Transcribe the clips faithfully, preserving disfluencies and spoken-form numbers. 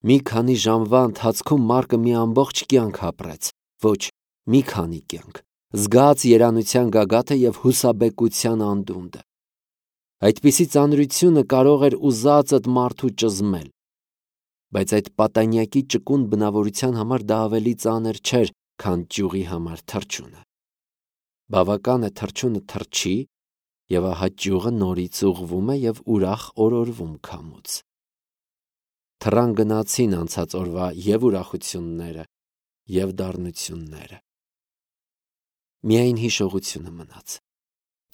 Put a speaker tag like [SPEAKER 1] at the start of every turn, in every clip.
[SPEAKER 1] Մի քանի ժամվա ընթացքում Մարկը մի ամբողջ կյանք ապրեց, ոչ մի քանի կյանք, զգաց երանության գագաթը և հուսաբեկության անդունդը։ Այդպիսի ծանրությունը կարող էր ուզածդ մարդու ճզմել, բայց այդ պատանյակի ճկուն բնավորության համար դա ավելի ծանր չէր, քան ճյուղի համար թռչունը։ Բավական է թռչունը թռչի, և ահա ճյուղը նորից ուղղվում է և ուրախ օրորվում քամուց։ Թռան գնացին անցած օրվա և ուրախությունները, և դառնությունները։ Միայն հիշողությունը մնաց։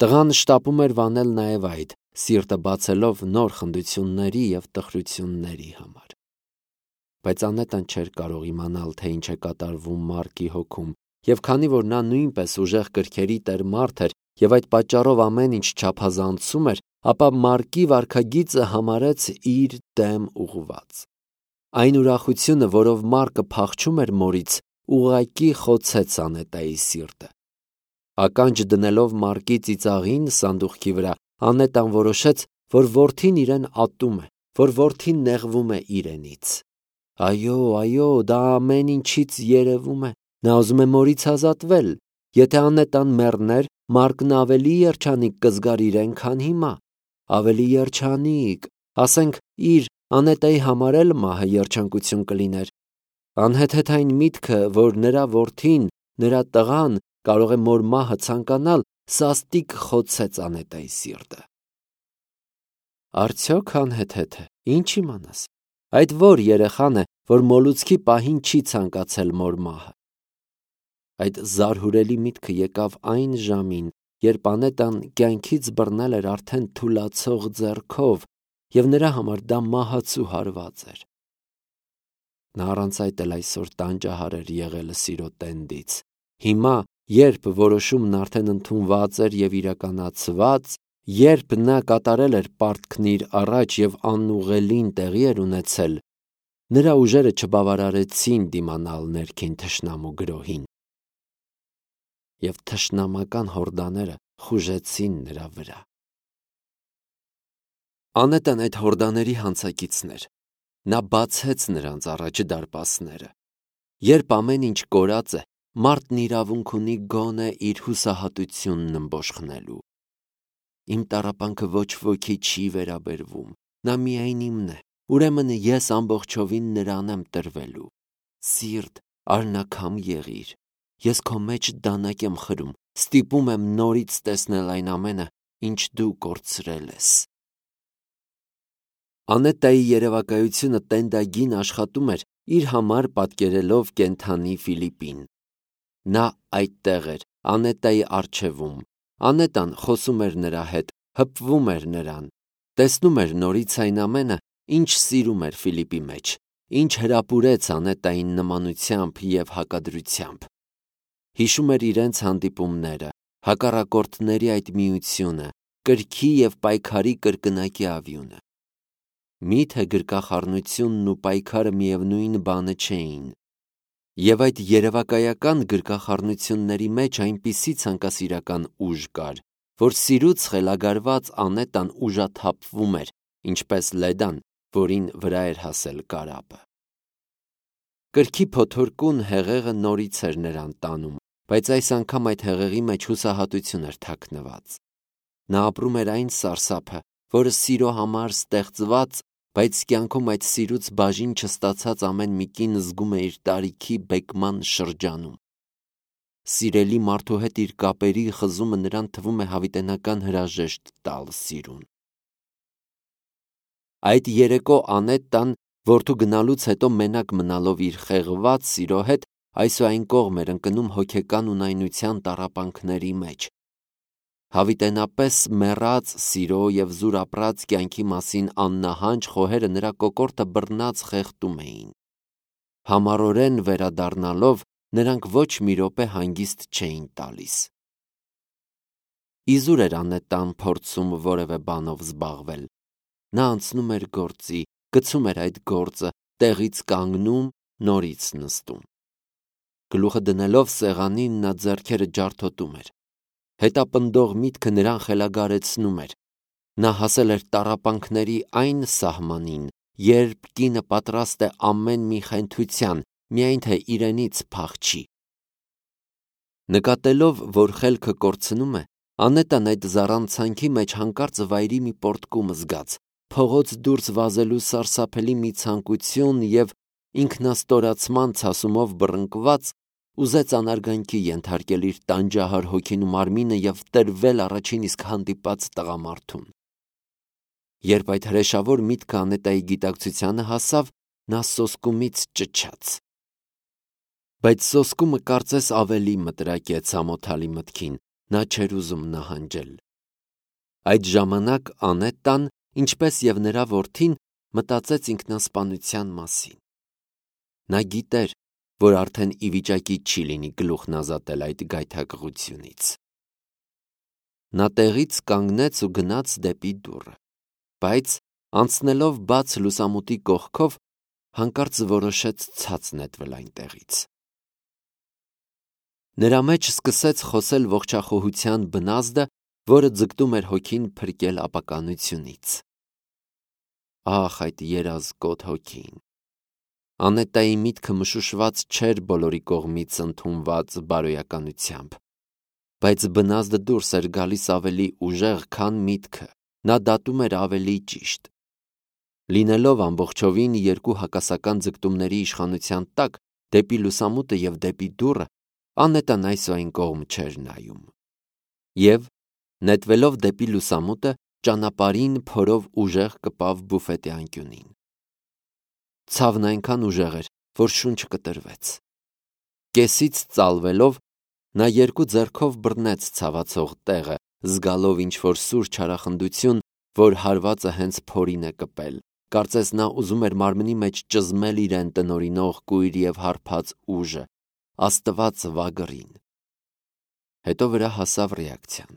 [SPEAKER 1] Տղան շտապում էր վանել նաև այդ, սիրտը բացելով նոր խնդությունների և տխրությունների համար։ Բայց Անետան չէր կարող իմանալ, թե ինչ է կատարվում Մարկի հոգում, և քանի որ նա նույնպես ուժեղ կրքերի տեր մարդ էր և այդ պատճառով ամեն ինչ չափազանցում էր, ապա Մարկի վարքագիծը համարեց իր դեմ ուղղված։ Այն ուրախությունը, որով Մարկը փախչում էր մորից, ուղղակի խոցեց Անետայի սիրտը։ Ականջ դնելով Մարկի ծիծաղին սանդուղքի վրա, Անետան որոշեց, որ որդին իրեն ատում է, որ որդին նեղվում է իրենից։ Այո, այո, դա ամեն ինչից երևում է։ Նա ուզում է մորից ազատվել։ Եթե Անետան մեռներ, Մարկն ավելի երջանիկ կզգար իրեն, քան հիմա։ Ավելի երջանիկ, ասենք իր Անետայի համար էլ մահը երջանկություն կլիներ։ Անհեթեթային միտքը, որ նրա որդին, նրա տղան կարող է մոր մահը ցանկանալ, սաստիկ խոցեց Անետայի սիրտը։ Արդյոք անհեթեթ է, ինչ իմանաս։ Այդ որ երեխան է, որ մոլուցքի պահին չի ցանկացել մոր մահը։ Այդ զարհուրելի միտքը եկավ այն ժամին, երբ Անետան կյանքից բռնել էր արդեն թուլացող ձեռքով, և նրա համար դա մահացու հարված էր։ Նա առանց այդ էլ այսօր տանջահար էր եղել սիրո տենդից։ Հիմա, երբ որոշումն արդեն ընդունված էր և իրականացված, երբ նա կատարել էր պարտքն իր առաջ և անուղղելին տեղի էր ունեցել, նրա ուժերը չբավարարեցին դիմանալ ներքին թշնամու գրոհին, և թշնամական հորդաները խուժեցին նրա վրա։ Անետան այդ հորդաների հանցակիցն էր։ Նա բացեց նրանց առաջ դարպասները։ Երբ ամեն ինչ կորած է, մարդն իրավունք ունի գոնե իր հուսահատությունն ըմբոշխնելու։ Իմ տառապանքը ոչ ոքի չի վերաբերվում, նա միայն իմն է, ուրեմն ես ամբողջովին նրան եմ տրվելու։ Սիրտ, արնաքամ եղիր, ես քո մեջ դանակ եմ խրում, ստիպում եմ նորից տեսնել այն ամենը, ինչ դու կորցրել ես։ Անետայի երևակայությունը տենդագին աշխատում էր, իր համար պատկերելով կենդանի Ֆիլիպին։ Նա այդտեղ էր, Անետայի առջևում։ Անետան խոսում էր նրա հետ, հպվում էր նրան, տեսնում էր նորից այն ամենը, ինչ սիրում էր Ֆիլիպի մեջ, ինչ հրապուրեց Անետային նմանությամբ և հակադրությամբ։ Հիշում էր իրենց հանդիպումները, հակառակորդների այդ միությունը, կրքի և պայքարի կրկնակի ավյունը։ Մի՞թե գրկախառնությունն ու պայքարը միևնույն բանը չէին։ Եվ այդ երևակայական գրկախառնությունների մեջ այնպիսի ցանկասիրական ուժ կար, որ սիրուց խելագարված Անետան ուժաթափվում էր, ինչպես լեդան, որին վրա էր հասել կարապը։ Կրքի փոթորկուն հեղեղը նորից էր նրան տանում, բայց այս անգամ այդ հեղեղի մեջ հուսահատություն էր թաքնված։ Նա ապրում էր այն սարսափը, որը սիրո համար ստեղծված, բայց կյանքում այդ սիրուց բաժին չստացած ամեն մի կին զգում է իր տարիքի բեկման շրջանում։ Սիրելի մարդու հետ իր կապերի խզումը նրան թվում է հավիտենական հրաժեշտ տալ սիրուն։ Այդ երեկո Անետան, որդու գնալուց հետո մենակ մնալով իր խեղված սիրո հետ, այսուայն կողմ էր ընկնում հոգեկան ունայնության տառապանքների մեջ։ Հավիտենապես մեռած սիրո և զուր ապրած կյանքի մասին աննահանջ խոհերը նրա կոկորդը բռնած խեղդում էին։ Համառորեն վերադառնալով, նրանք ոչ մի րոպե հանգիստ չէին տալիս։ Իզուր էր Անետան փորձում որևէ բանով զբաղվել։ Նա անցնում էր գործի, գցում էր այդ գործը, տեղից կանգնում, նորից նստում։ Գլուխը դնելով սեղանին, նա ձեռքերը ջարդոտում էր։ Հետապնդող միտքը նրան խելագարեցնում էր։ Նա հասել էր տառապանքների այն սահմանին, երբ կինը պատրաստ է ամեն մի խենթության, միայն թե իրենից փախչի։ Նկատելով, որ խելքը կորցնում է, Անետան այդ զառանցանքի մեջ հանկարծ վայրի մի պոռթկում զգաց, փողոց դուրս վազելու սարսափելի մի ցանկություն և ինքնաստորացման ցասումով բռնկված ուզեց անարգանքի ենթարկել իր տանջահար հոգին ու մարմինը և տրվել առաջին իսկ հանդիպած տղամարդուն։ Երբ այդ հրեշավոր միտքը Անետայի գիտակցությանը հասավ, նա սոսկումից ճչաց։ Բայց սոսկումը կարծես ավելի մտրակեց ամոթալի մտքին, նա չէր ուզում նահանջել։ Այդ ժամանակ Անետան, ինչպես և նրա որդին, մտածեց ինքնասպանության մասին։ Նա գիտեր, որ արդեն ի վիճակի չի լինի գլուխն ազատել այդ գայթակղությունից։ Նա տեղից կանգնեց ու գնաց դեպի դուռը, բայց անցնելով բաց լուսամուտի կողքով, հանկարծ որոշեց ցած նետվել այնտեղից։ Նրա մեջ սկսեց խոսել ողջախոհության բնազդը, որը ձգտում էր հոգին փրկել ապականությունից։ Ահ, այդ երազկոտ հոգին։ Անետայի միտքը մշուշված չէր բոլորի կողմից ընդունված բարոյականությամբ, բայց բնազդը դուրս էր գալիս ավելի ուժեղ, քան միտքը, նա դատում էր ավելի ճիշտ։ Լինելով ամբողջովին երկու հակասական ձգտումների իշխանության տակ, դեպի լուսամուտը և դեպի դուռը, Անետան այս ու այն կողմ չէր նայում։ Եվ, նետվելով դեպի լուսամուտը, ճանապարհին փորով ուժեղ կպավ բուֆետի անկյունին։ Ցավն այնքան ուժեղ էր, որ շունչը կտրվեց։ Կեսից ծալվելով, նա երկու ձեռքով բռնեց ցավացող տեղը, զգալով ինչ-որ սուր չարախնդություն, որ հարվածը հենց փորին է կպել, կարծես նա ուզում էր մարմնի մեջ ճզմել իրեն տնօրինող կույր և հարբած ուժը, Աստված վագրին։ Հետո վրա հասավ ռեակցիան։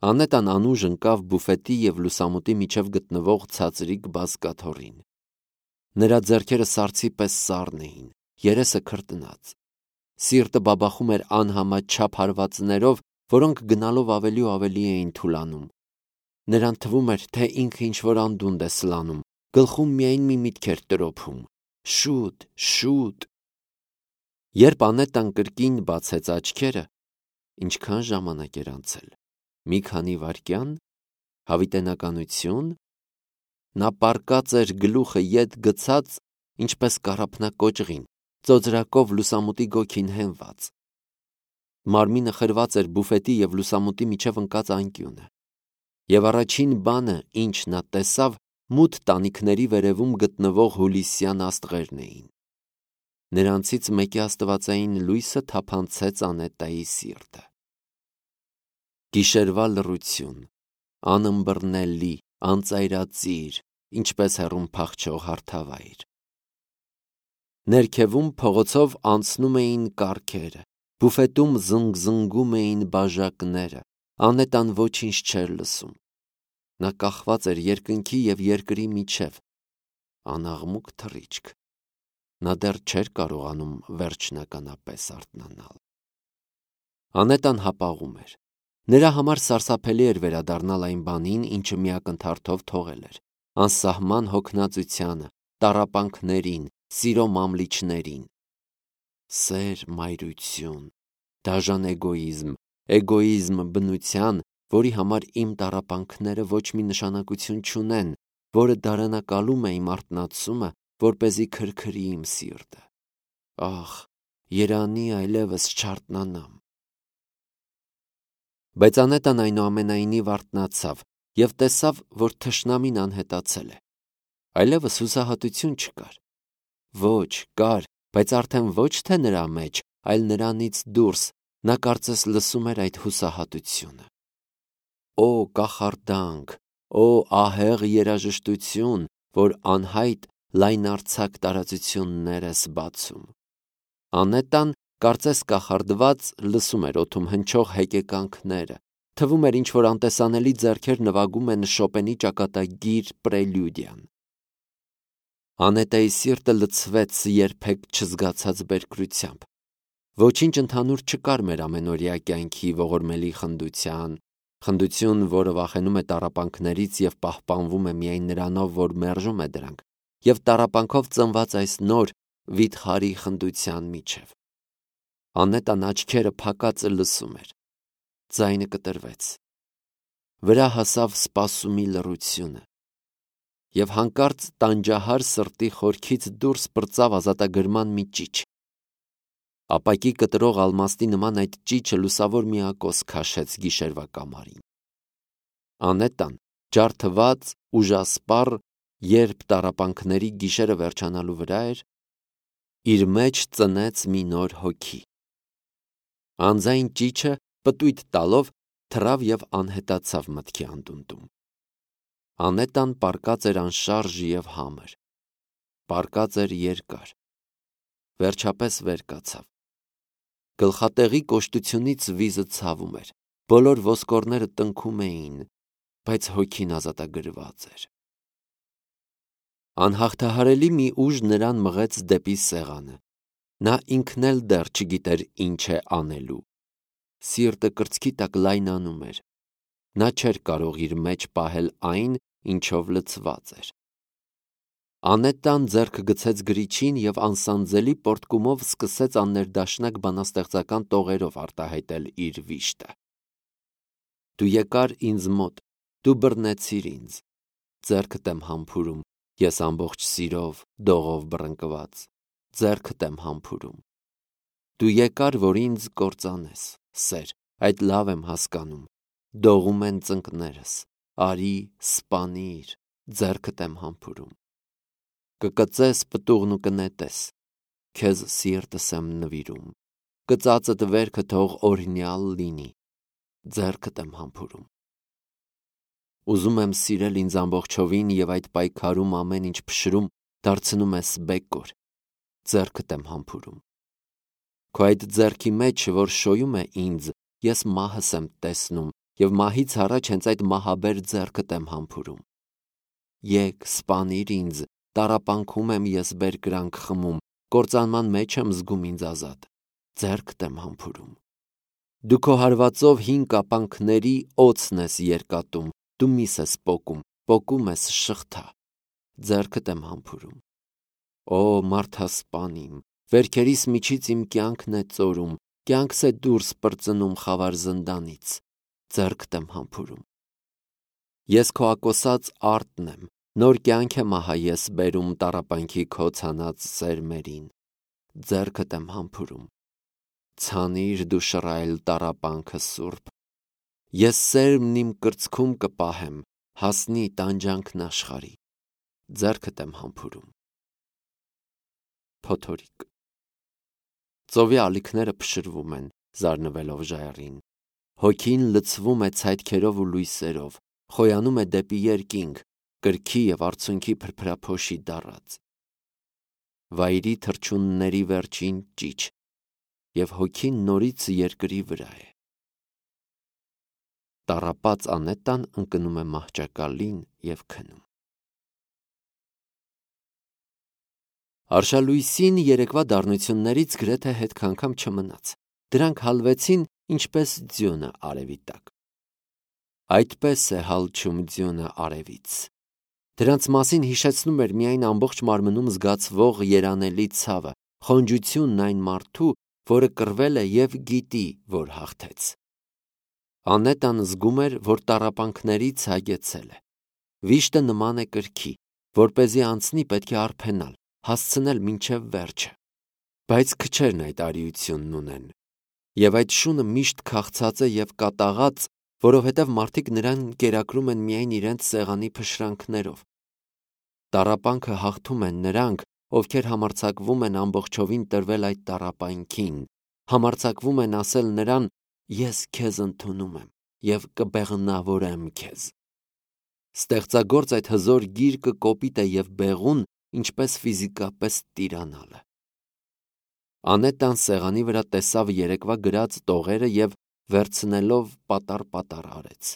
[SPEAKER 1] Անետան անուժ ընկավ բուֆետի և լուսամուտի միջև գտնվող ցածրիկ բազկաթոռին։ Նրա ձեռքերը սառցի պես սառն էին, երեսը քրտնած։ Սիրտը բաբախում էր անհամաչափ հարվածներով, որոնք գնալով ավելի ու ավելի էին թուլանում։ Նրան թվում էր, թե ինքը ինչ-որ անդունդ է սլանում, գլխում միայն մի միտք էր տրոփում. շուտ, շուտ։ Երբ Անետան կրկին բացեց աչքերը, ինչքան ժամանակ էր անցել, մի քանի վայրկյան, հավիտենականություն, նա պառկած էր գլուխը ետ գցած, ինչպես կառափնակոճղին, ծոծրակով լուսամուտի գոգին հենված։ Մարմինը խրված էր բուֆետի և լուսամուտի միջև ընկած անկյունը։ Եվ առաջին բանը, ինչ նա տեսավ, մութ տանիքների վերևում գտնվող հուլիսյան աստղերն էին։ Նրանցից մեկի աստվածային լույսը թափանցեց Անետայի սիրտը։ Գիշերվա լռություն, անըմբռնելի, անծայրածիր, ինչպես հեռուն փախչող հարթավայր։ Ներքևում փողոցով անցնում էին կառքերը, բուֆետում զնգզնգում էին բաժակները, Անետան ոչինչ չէր լսում։ Նա կախված էր երկնքի և երկրի միջև, անաղմուկ թռիչք։ Նա դեռ չէր կարողանում վերջնականապես արթնանալ։ Անետան հապաղում էր։ Նրա համար սարսափելի էր վերադառնալ այն բանին, ինչը մի ակնթարթով թողել էր, անսահման հոգնածությանը, տառապանքներին, սիրո մամլիչներին։ Սեր, մայրություն, դաժան էգոիզմ, էգոիզմ բնության, որի համար իմ տառապանքները ոչ մի նշանակություն չունեն, որը դարանակալում է իմ արթնացումը, որպեսզի քրքրի իմ սիրտը։ Ահ, երանի այլևս չարթնանամ։ Բայց Անետան այնուամենայնիվ արթնացավ և տեսավ, որ թշնամին անհետացել է։ Այլևս հուսահատություն չկար։ Ոչ, կար, բայց արդեն ոչ թե նրա մեջ, այլ նրանից դուրս, նա կարծես լսում էր այդ հուսահատությունը։ Օ կախարդանք, օ ահեղ երաժշտություն, որ անհայտ լայնարձակ տարածություններ ես բացում։ Անետան, կարծես կախարդված, լսում էր օդում հնչող հեկեկանքները, թվում էր ինչ-որ անտեսանելի ձեռքեր նվագում են Շոպենի ճակատագիր պրելյուդիան։ Անետայի սիրտը լցվեց երբեք չզգացած բերկրությամբ։ Ոչինչ ընդհանուր չկար մեր ամենօրյա կյանքի ողորմելի խնդության, խնդություն, որը վախենում է տառապանքներից և պահպանվում է միայն նրանով, որ մերժում է դրանք, և տառապանքով ծնված այս նոր վիթխարի խնդության միջև։ Անետան աչքերը փակածը լսում էր։ Ձայնը կտրվեց։ Վրա հասավ սպասումի լռությունը, և հանկարծ տանջահար սրտի խորքից դուրս պրծավ ազատագրման մի ճիչ։ Ապակի կտրող ալմաստի նման այդ ճիչը լուսավոր միակոս քաշեց գիշերվա կամարին։ Անետան, ջարդված, ուժասպառ, երբ տառապանքների գիշերը վերջանալու վրա էր, իր մեջ ծնեց մի նոր հոգի։ Անձայն ճիչը պտույտ տալով թռավ և անհետացավ մտքի անդունդում։ Անետան պառկած էր անշարժ և համր, պառկած էր երկար, վերջապես վեր կացավ։ Գլխատեղի կոշտությունից վիզը ցավում էր, բոլոր ոսկորները տնքում էին, բայց հոգին ազատագրված էր։ Անհաղթահարելի մի ուժ նրան մղեց դեպի սեղանը։ Նա ինքն էլ դեռ չգիտեր ինչ է անելու։ Սիրտը կրծքի տակ լայնանում էր։ Նա չէր կարող իր մեջ պահել այն, ինչով լցված էր։ Անետան ձեռքը գցեց գրիչին և անսանձելի պոռթկումով սկսեց աններդաշնակ բանաստեղծական տողերով արտահայտել իր վիշտը։ Դու եկար ինձ մոտ, դու բռնեցիր ինձ, ձեռքդ եմ համբուրում, ես ամբողջ սիրով, դողով բռնկված, ձեռքդ եմ համբուրում։ Դու եկար, որ ինձ կործանես, սեր, այդ լավ եմ հասկանում, դողում են ծնկներս, արի, սպանիր, ձեռքդ եմ համբուրում։ Կկծես պտուղն ու կնետես, քեզ սիրտս եմ նվիրում, կծածդ վերքը թող օրհնյալ լինի, ձեռքդ եմ համբուրում։ Ուզում եմ սիրել ինձ ամբողջովին և այդ պայքարում ամեն ինչ փշրում դարձնում ես բեկոր, ձեռքդ եմ համբուրում։ Քո այդ ձեռքի մեջ, որ շոյում է ինձ, ես մահս եմ տեսնում և մահից առաջ հենց այդ մահաբեր ձեռքդ եմ համբուրում։ Եկ, սպանիր ինձ, տառապանքում եմ ես բերկրանք խմում, կործանման մեջ եմ զգում ինձ ազատ, ձեռքդ եմ համբուրում։ Դու քո հարվածով հին կապանքների օձն ես երկատում, դու միս ես պոկում, պոկում ես շղթա, ձեռքդ եմ համբուրում։ Օ, մարդասպան իմ, վերքերիս միջից իմ կյանքն է ծորում, կյանքս է դուրս պրծնում խավար զնդանից, ձեռքդ եմ համբուրում։ Ես քո ակոսած արտն եմ, նոր կյանք եմ ահա ես բերում տառապանքի քո ցանած սերմերին, ձեռքդ եմ համբուրում։ Ցանիր դու շռայլ տառապանքը սուրբ, ես սերմն իմ կրծքում կպահեմ, հասնի տանջանքն աշխարհի, ձեռքդ եմ համբուրում։ Փոթորիկ։ Ծովի ալիքները փշրվում են, զարնվելով ժայռին, հոգին լցվում է ցայտքերով ու լույսերով, խոյանում է դեպի երկինք, կրքի և արցունքի փրփրափոշի դառած։ Վայրի թռչունների վերջին ճիչ, և հոգին նորից երկրի վրա է։ Տառապած անետան ընկնում է մահճակալին և քնում։ Արշալույսին երեկվա դառնություններից գրեթե հետք անգամ չմնաց։ Դրանք հալվեցին ինչպես ձյունը արևի տակ։ Այդպես է հալչում ձյունը արևից։ Դրանց մասին հիշեցնում էր միայն ամբողջ մարմնում զգացվող երանելի ցավը, խոնջությունն այն մարդու, որը կռվել է և գիտի, որ հաղթեց։ Անետան զգում էր, որ տառապանքներից հագեցել է։ Վիշտը նման է կրքի, որպեսզի անցնի պետք է արբենալ, հասցնել մինչև վերջը։ Բայց քչերն այդ արիությունն ունեն, և այդ շունը միշտ քաղցած է և կատաղած, որովհետև մարդիկ նրան կերակրում են միայն իրենց սեղանի փշրանքներով։ Տառապանքը հաղթում են նրանք, ովքեր համարձակվում են ամբողջովին տրվել այդ տառապանքին, համարձակվում են ասել նրան. «Ես քեզ ընդունում եմ և կբեղմնավորեմ քեզ»։ Ստեղծագործ այդ հզոր գիրկը կոպիտ է և բեղուն, ինչպես ֆիզիկապես տիրանալը։ Անետան սեղանի վրա տեսավ երեկվա գրած տողերը և վերցնելով պատառ-պատառ արեց։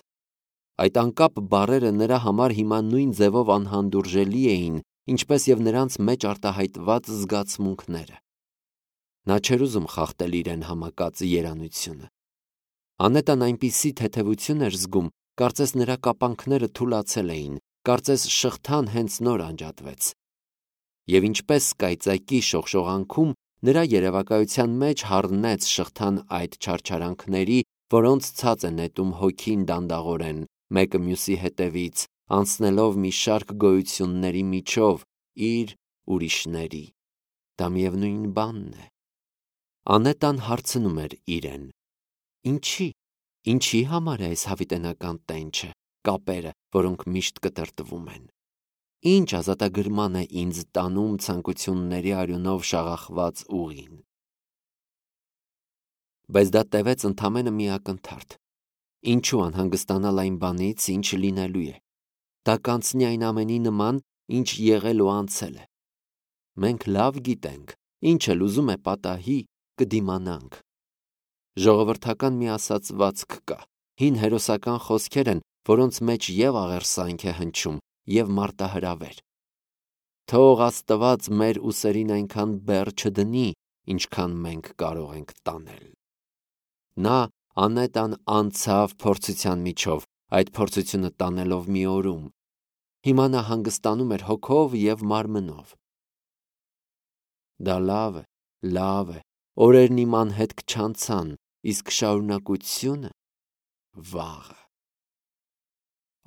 [SPEAKER 1] Այդ անկապ բառերը նրա համար հիմա նույն ձևով անհանդուրժելի էին, ինչպես և նրանց մեջ արտահայտված զգացմունքները։ Նա չէր ուզում խախտել իրեն համակած երանությունը։ Անետան այնպիսի թեթևություն էր զգում, կարծես նրա կապանքները թուլացել էին, կարծես շղթան հենց նոր անջատվեց։ եւ ինչպես կայծակի շողշողանքում նրա երևակայության մեջ հառնեց շղթան այդ չարչարանքների, որոնց ցած է նետում հոգին դանդաղորեն, մեկը մյուսի հետևից, անցնելով մի շարք գոյությունների միջով, իր ուրիշների։ Դա միևնույն բանն է։ Անետան հարցնում էր իրեն. Ինչի, ինչի համար է այս հավիտենական տենչը, կապերը, որոնք միշտ կտրտվում են։ Ինչ ազատագրման է ինձ տանում ցանկությունների արյունով շաղախված ուղին։ Բայց դա տևեց ընդամենը մի ակնթարթ։ Ինչու անհանգստանալ այն բանից, ինչ լինելու է։ Դա կանցնի այն ամենի նման, ինչ եղել ու անցել է։ Մենք լավ գիտենք, ինչ էլ ուզում է պատահի, կդիմանանք։ Ժողովրդական մի ասացվածք կա, հին հերոսական խոսքեր են, որոնց մեջ եւ աղերսանք է հնչում, եւ մարտահրավեր։ Թող Աստված մեր ուսերին այնքան բեռ չդնի, ինչքան մենք կարող ենք տանել։ Նա Անետան անցավ փորձության միջով, այդ փորձությունը տանելով մի օրում։ Հիմա նա հանգստանում էր հոգով եւ մարմնով։ Դա լավ է, լավ է, օրերն իմ անհետք չանցան, իսկ շարունակությունը վաղը։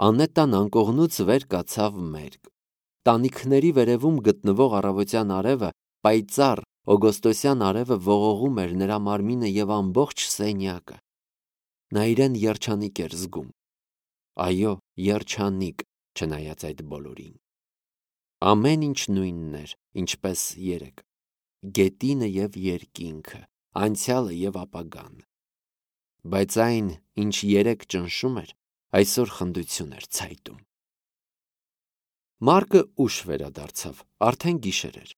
[SPEAKER 1] Անետան անկողնուց վեր կացավ մերկ։ Տանիքների վերևում գտնվող առավոտյան արևը, պայծառ օգոստոսյան արևը ողողում էր նրա մարմինը եւ ամբողջ սենյակը։ Նա իրեն երջանիկ էր զգում։ Այո, երջանիկ, չնայած այդ բոլորին։ Ամեն ինչ նույնն էր, ինչպես երեկ։ Գետինը եւ երկինքը, անցյալը եւ ապագան։ Բայց այն, ինչ երեկ ճնշում էր, այսօր խնդություն էր ցայտում։ Մարկը ուշ վերադարձավ, արդեն գիշեր էր։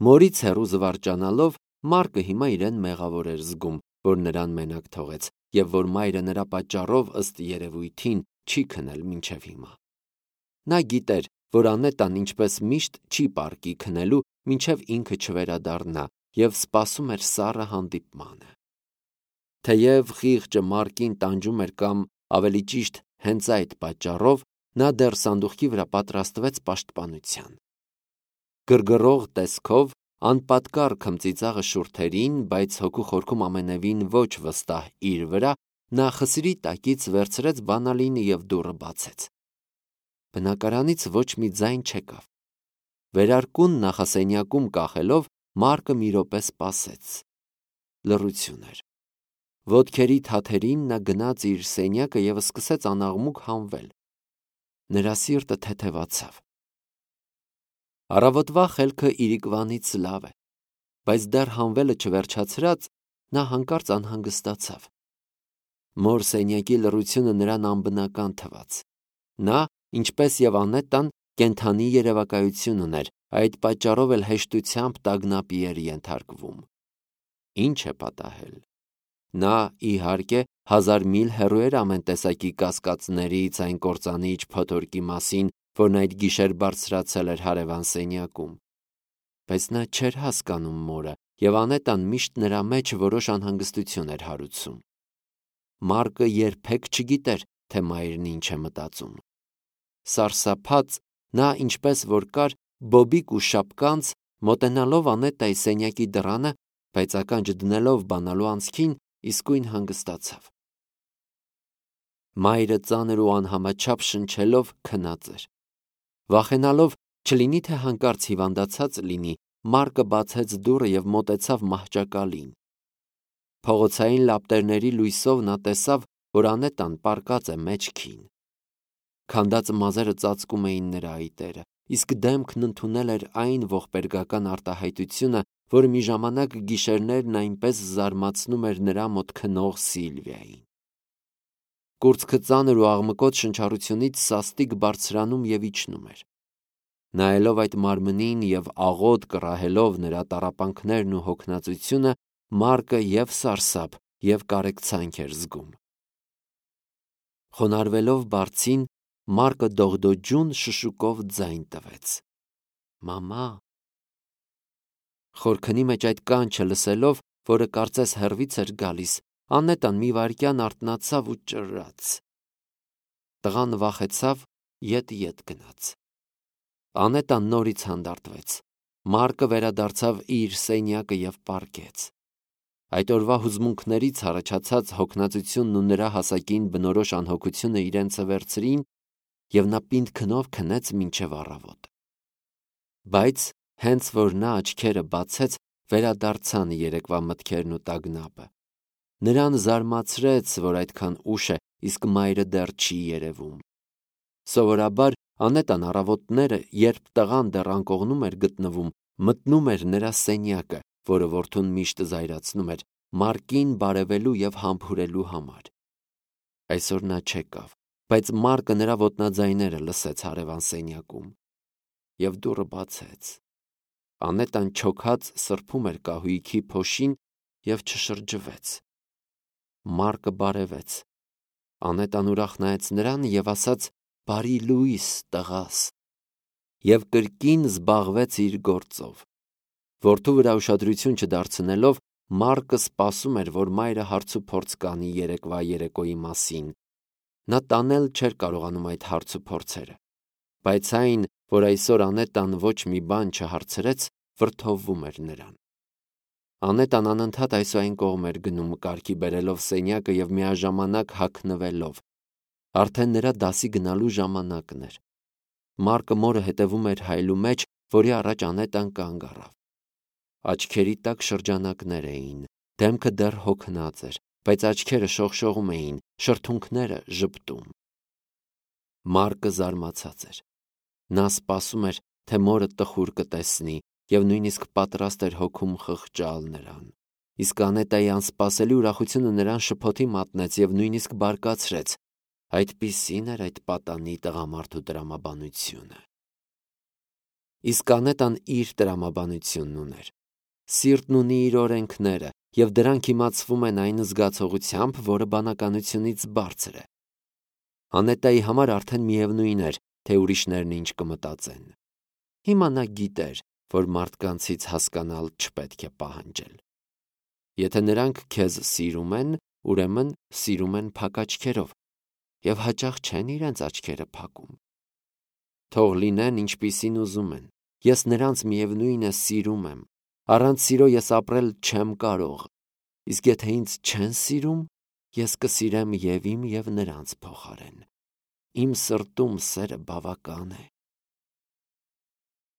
[SPEAKER 1] Մորից հեռու զվարճանալով, Մարկը հիմա իրեն մեղավոր էր զգում, որ նրան մենակ թողեց, եւ որ մայրը նրա պատճառով ըստ երևույթին չի քնել մինչև հիմա։ Նա գիտեր, որ Անետան ինչպես միշտ չի պարկի քնելու, մինչև ինքը չվերադառնա, եւ սպասում էր սառը հանդիպմանը։ Թեև խիղճը Մարկին տանջում էր կամ ավելի ճիշտ հենց այդ պատճառով, նա դեռ սանդուղքի վրա պատրաստվեց պաշտպանության։ Գրգռող տեսքով, անպատկառ քմծիծաղը շուրթերին, բայց հոգու խորքում ամենևին ոչ վստահ իր վրա, նա խսրի տակից վերցրեց բանալինը եւ դուռը բացեց։ Բնակարանից ոչ մի ձայն չեկավ։ Վերարկուն նախասենյակում կախելով, Մարկը մի րոպե սպասեց։ Լռություն էր։ Ոտքերի թաթերին նա գնաց իր սենյակը եւ սկսեց անաղմուկ հանվել։ Նրա սիրտը թեթևացավ։ Առավոտվա խելքը իրիկվանից լավ է, բայց դեռ հանվելը չվերջացրած, նա հանկարծ անհանգստացավ։ Մոր սենյակի լռությունը նրան անբնական թվաց։ Նա, ինչպես եւ Անետան, կենդանի երևակայություն ուներ, այդ պատճառով էլ հեշտությամբ տագնապի էր ենթարկվում։ Ինչ է պատահել։ Նա, իհարկե, հազար միլ հեռու էր ամեն տեսակի կասկածներից, այն կործանիչ փոթորկի մասին, որն այդ գիշեր բարձրացել էր հարևան սենյակում։ Բայց նա չէր հասկանում մորը, եւ Անետան միշտ նրա մեջ որոշ անհանգստություն էր հարուցում։ Մարկը երբեք չգիտեր, թե մայրն ինչ է մտածում։ Սարսափած, նա ինչպես որ կար, բոբիկ ու շապկանց, մոտենալով Անետայի սենյակի դռանը, բայց ականջ դնելով բանալու անցքին, իսկույն հանգստացավ։ Մայրը ծանր ու անհամաչափ շնչելով քնած էր։ Վախենալով, չլինի թե հանկարծ հիվանդացած լինի, Մարկը բացեց դուռը եւ մոտեցավ մահճակալին։ Փողոցային լապտերների լույսով նա տեսավ, որ Անետան պառկած է մեջքին։ Քանդած մազերը ծածկում էին նրա այտերը, իսկ դեմքն ընդունել էր այն ողբերգական արտահայտությունը, որը մի ժամանակ գիշերներն այնպես զարմացնում էր նրա մոտ քնող Սիլվիային։ Կուրծքը ծանր ու աղմկոտ շնչառությունից սաստիկ բարձրանում եւ իջնում էր։ Նայելով այդ մարմնին եւ աղոտ կռահելով նրա տառապանքներն ու հոգնածությունը, Մարկը եւ սարսափ եւ կարեկցանք էր զգում։ Խոնարհվելով բարձին, Մարկը դողդոջուն շշուկով ձայն տվեց։ Մամա։ Խորքնի մեջ այդ կանչը լսելով, որը կարծես հեռվից էր գալիս, Անետան մի վայրկյան արթնացավ ու ճռռաց։ Տղան վախեցավ, ետ-ետ գնաց։ Անետան նորից հանդարտվեց։ Մարկը վերադարձավ իր սենյակը և պառկեց։ Այդ օրվա հուզմունքներից առաջացած հոգնածությունն ու նրա հասակին բնորոշ անհոգությունը իրենցը վերցրին, և նա պինդ քնով քնեց մինչև առավոտ։ Բայց հենց որ նա աչքերը բացեց, վերադարձան երեկվա մտքերն ու տագնապը։ Նրան զարմացրեց, որ այդքան ուշ է, իսկ մայրը դեռ չի երևում։ Սովորաբար Անետան առավոտները, երբ տղան դեռ անկողնում էր գտնվում, մտնում էր նրա սենյակը, որը որդուն միշտ զայրացնում էր, Մարկին բարևելու և համբուրելու համար։ Այսօր նա չեկավ, բայց Մարկը նրա ոտնաձայները լսեց հարևան սենյակում և դուռը բացեց։ Անետան չոքած սրբում էր կահույքի փոշին և չշրջվեց։ Մարկը բարևեց։ Անետան ուրախ նայեց նրան և ասաց. «Բարի լույս, տղաս», և կրկին զբաղվեց իր գործով։ Որդու վրա ուշադրություն չդարձնելով, Մարկը սպասում էր, որ մայրը հարցուփորձ կանի երեկվա երեկոյի մասին։ Նա տանել չէր կարողանում այդ հարցուփորձերը, բայց այն, որ այսօր Անետան ոչ մի բան չհարցրեց, վրդովվում էր նրան։ Անետան անընդհատ այս ու այն կողմ էր գնում, կարգի բերելով սենյակը և միաժամանակ հագնվելով։ Արդեն նրա դասի գնալու ժամանակն էր։ Մարկը մորը հետևում էր հայելու մեջ, որի առաջ Անետան կանգ առավ։ Աչքերի տակ շրջանակներ էին, դեմքը դեռ հոգնած էր, բայց աչքերը շողշողում էին, շրթունքները ժպտում։ Մարկը զարմացած էր։ Նա սպասում էր, թե մորը տխուր կտեսնի, և նույնիսկ պատրաստ էր հոգում խղճալ նրան։ Իսկ Անետայի անսպասելի ուրախությունը նրան շփոթի մատնեց և նույնիսկ բարկացրեց։ Այդպիսին էր այդ պատանի տղամարդու տրամաբանությունը։ Իսկ Անետան իր տրամաբանությունն ուներ։ Սիրտն ունի իր օրենքները, և դրանք իմացվում են այն զգացողությամբ, որը բանականությունից բարձր է։ Անետայի համար արդեն միևնույն էր, թե ուրիշներն ինչ կմտածեն։ Հիմա նա գիտեր, որ մարդկանցից հասկանալ չպետք է պահանջել։ Եթե նրանք քեզ սիրում են, ուրեմն սիրում են փակ աչքերով, և հաճախ չեն իրենց աչքերը փակում։ Թող լինեն ինչպիսին ուզում են, ես նրանց միևնույն է սիրում եմ, առանց սիրո ես ապրել չեմ կարող, իսկ եթե ինձ չեն սիրում, ես կսիրեմ և իմ և նրանց փոխարեն։ Իմ սրտում սերը բավական է։